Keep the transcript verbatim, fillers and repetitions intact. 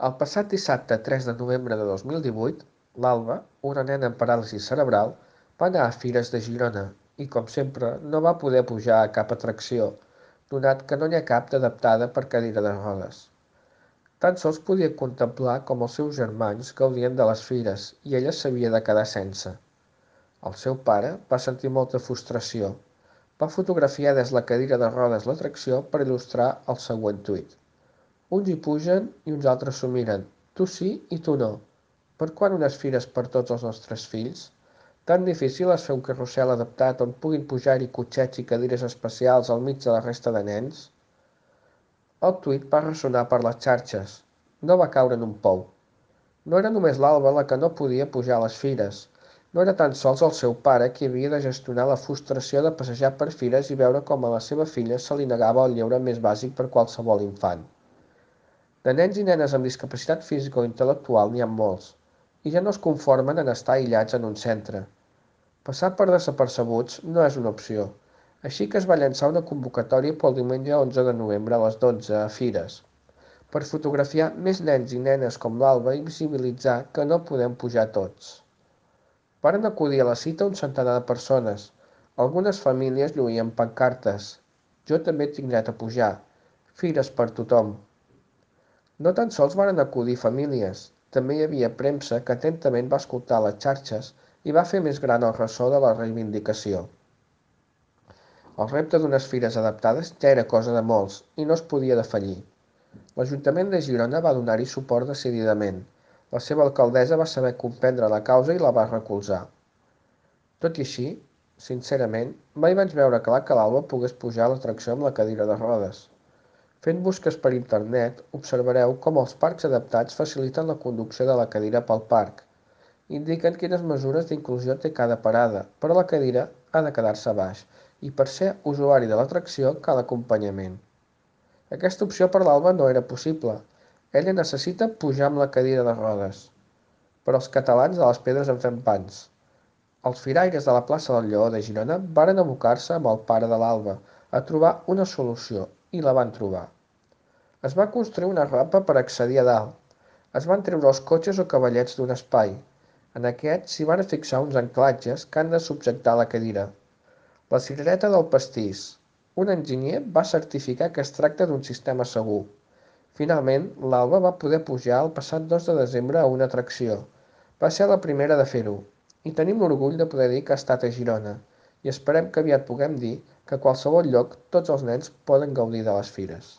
El passat dissabte tres de novembre de dos mil divuit, l'Alba, una nena amb paràlisi cerebral, va anar a Fires de Girona i, com sempre, no va poder pujar a cap atracció, donat que no n'hi ha cap d'adaptada per cadira de rodes. Tan sols podia contemplar com els seus germans gaudien de les fires i ella s'havia de quedar sense. El seu pare va sentir molta frustració. Va fotografiar des la cadira de rodes l'atracció per il·lustrar el següent tuit. Uns hi pugen i uns altres s'ho miren. Tu sí i tu no. Per quan unes fires per tots els nostres fills? Tan difícil és fer un carrusel adaptat on puguin pujar-hi cotxets i cadires especials al mig de la resta de nens? El tuit va ressonar per les xarxes. No va caure en un pou. No era només l'Alba la que no podia pujar a les fires. No era tan sols el seu pare qui havia de gestionar la frustració de passejar per fires i veure com a la seva filla se li negava el lleure més bàsic per qualsevol infant. De nens i nenes amb discapacitat física o intel·lectual n'hi ha molts, i ja no es conformen en estar aïllats en un centre. Passar per desapercebuts no és una opció, així que es va llançar una convocatòria pel diumenge onze de novembre a les dotze a Fires, per fotografiar més nens i nenes com l'Alba i visibilitzar que no podem pujar tots. Varen acudir a la cita un centenar de persones. Algunes famílies lluïen pancartes. Jo també tinc dret a pujar. Fires per tothom. No tan sols varen acudir famílies, també hi havia premsa que atentament va escoltar les xarxes i va fer més gran el ressò de la reivindicació. El repte d'unes fires adaptades ja era cosa de molts i no es podia defallir. L'Ajuntament de Girona va donar-hi suport decididament. La seva alcaldessa va saber comprendre la causa i la va recolzar. Tot i així, sincerament, mai vaig veure clar que l'Alba pogués pujar a l'atracció amb la cadira de rodes. Fent busques per internet, observareu com els parcs adaptats faciliten la conducció de la cadira pel parc. Indiquen quines mesures d'inclusió té cada parada, però la cadira ha de quedar-se baix i per ser usuari de l'atracció cal acompanyament. Aquesta opció per l'Alba no era possible. Ella necessita pujar amb la cadira de rodes. Però els catalans de les pedres en fem pans. Els firaires de la plaça del Lleó de Girona varen abocar-se amb el pare de l'Alba a trobar una solució i la van trobar. Es va construir una rampa per accedir a dalt. Es van treure els cotxes o cavallets d'un espai. En aquest s'hi van fixar uns anclatges que han de subjectar la cadira. La cirereta del pastís. Un enginyer va certificar que es tracta d'un sistema segur. Finalment, l'Alba va poder pujar el passat dos de desembre a una atracció. Va ser la primera de fer-ho. I tenim l'orgull de poder dir que ha estat a Girona. I esperem que aviat puguem dir que a qualsevol lloc tots els nens poden gaudir de les fires.